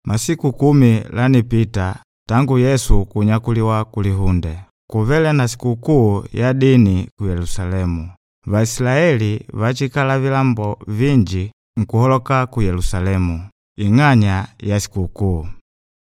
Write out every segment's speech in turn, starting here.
Masiku 10 lanipita tangu Yesu kunyakuliwa kulihunde. Kuvele na sikukuu ya dini ku Yerusalemu. Vaisilaeli vachikala vilambo vinji nkuholoka ku Yerusalemu ing'anya ya sikukuu.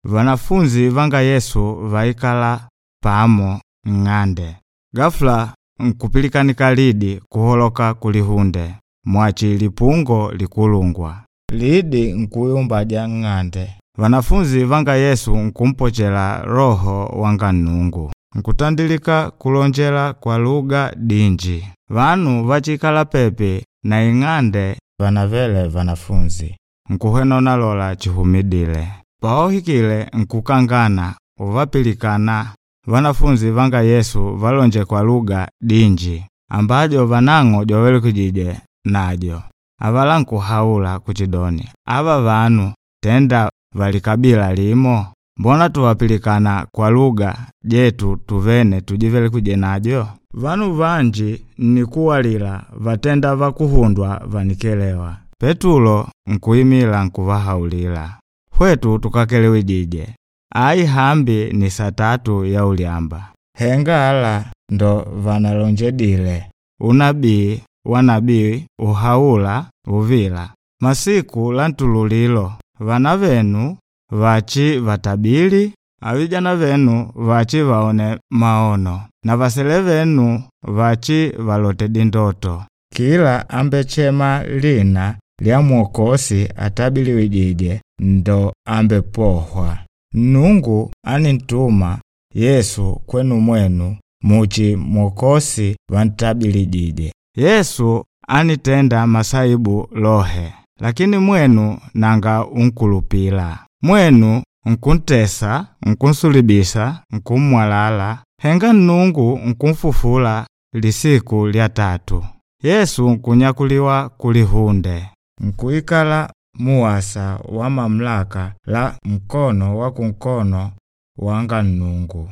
Vanafunzi vanga Yesu vaikala pamo ng'ande. Ghafula nkupilikanika lidi kuholoka kulihunde mwachi lipungo likulungwa. Lidi nkuyumbaja ng'ande. Vanafunzi vanga Yesu nkumpochela Roho wanga Nnungu. Nkutandilika kulonjela kwa lugha dinji. Vanu vachikala pepi na ing'ande vanavele vanafunzi. Nkuhwena lola chihumidile. Paohikile nkukangana uvapilikana vanafunzi vanga Yesu valonje kwa lugha dinji ambajo vanang'o jowelikijije najo. Avala nkuhaula kuchidoni, ava vanu tenda valikabila limo, mbona tuwapilikana kwa lugha jetu tuvene tujivelikije najo? Vanu vanji nikuwalila vatenda vakuhundwa vanikelewa. Petulo nkuimila nkuvahaulila, hwetu tukakelewijije, ai hambi ni saa 3 ya ulyamba. Henga ala ndo vanalonjedile unabii wa nabii uhaula uvila. Masiku la ntululilo vana venu vachi vatabili, avijana venu vachi vaone maono, na vasele venu vachi valote dindoto. Kila ambechema lina lya Mwokosi atabiliwijije ndo ambepohwa. Nungu anintuma Yesu kwenu mwenu muchi Mwokosi vantabilijije. Yesu anitenda masaibu lohe, lakini mwenu nanga unkulupila. Mwenu nkuntesa, nkunsulibisa, nkumwalala. Henga Nnungu nkumfufula lisiku lya 3. Yesu nkunyakuliwa kulihunde. Nkuikala muwasa wa mamlaka la mkono wa kunkono wanga Nnungu.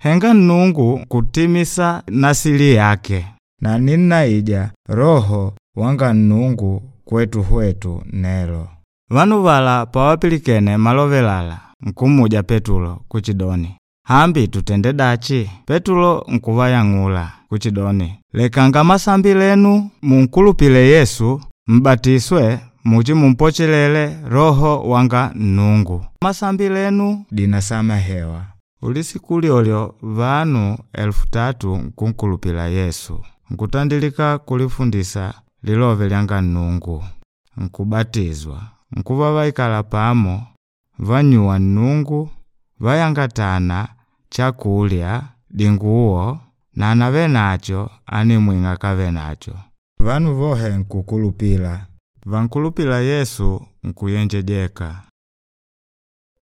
Henga Nnungu kutimisa nasili yake. Na ninnaija Roho wanga Nnungu kwetu hwetu nelo. Vanu vala pawapilikene malovelala nkumuja Petulo kuchidoni, hambi tutende dachi? Petulo nkuvayang'ula kuchidoni, lekanga masambi lenu munkulupile Yesu mbatiswe muchi mumpochelele Roho wanga Nnungu. Masambi lenu dinasamehewa. Ulisiku lyolyo vanu 3000 nkunkulupila Yesu. Nkutandilika kulifundisa lilove lyanga Nnungu. Nkubatizwa. Nkuva vaikala pamo, vanyuwa Nnungu, vayangatana chakulya, dinguwo, na anave nacho animwing'a kave nacho. Vanu vohe nkukulupila. Vankulupila Yesu nkuyenjejeka.